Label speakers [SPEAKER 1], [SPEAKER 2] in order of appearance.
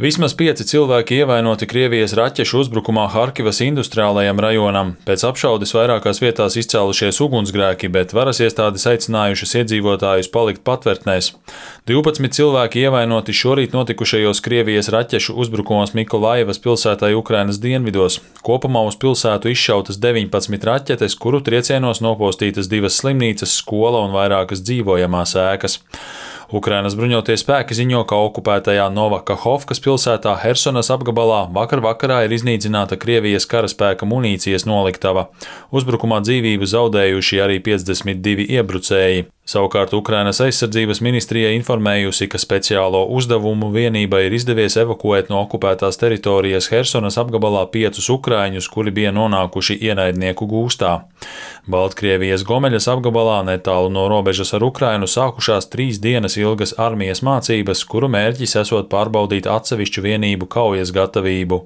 [SPEAKER 1] Vismaz 5 cilvēki ievainoti Krievijas raķešu uzbrukumā Harkivas industriālajam rajonam. Pēc apšaudes vairākās vietās izcēlušies ugunsgrēki, bet varas iestādes aicinājušas iedzīvotājus palikt patvērtnēs. 12 cilvēki ievainoti šorīt notikušajos Krievijas raķešu uzbrukumos Mikolaivas pilsētai Ukrainas dienvidos. Kopumā uz pilsētu izšautas 19 raķetes, kuru triecienos nopostītas 2 slimnīcas, skola un vairākas dzīvojamās ēkas. Ukrainas bruņotie spēki ziņo, ka okupētajā Novakahovkas pilsētā Hersonas apgabalā vakarā ir iznīcināta Krievijas karaspēka munīcijas noliktava. Uzbrukumā dzīvību zaudējuši arī 52 iebrucēji. Savukārt Ukrainas aizsardzības ministrija informējusi, ka speciālo uzdevumu vienībai ir izdevies evakuēt no okupētās teritorijas Hersonas apgabalā 5 ukraiņus, kuri bija nonākuši ienaidnieku gūstā. Baltkrievijas Gomeļas apgabalā netālu no robežas ar Ukrainu sākušās 3 dienas ilgas armijas mācības, kuru mērķis esot pārbaudīt atsevišķu vienību kaujas gatavību.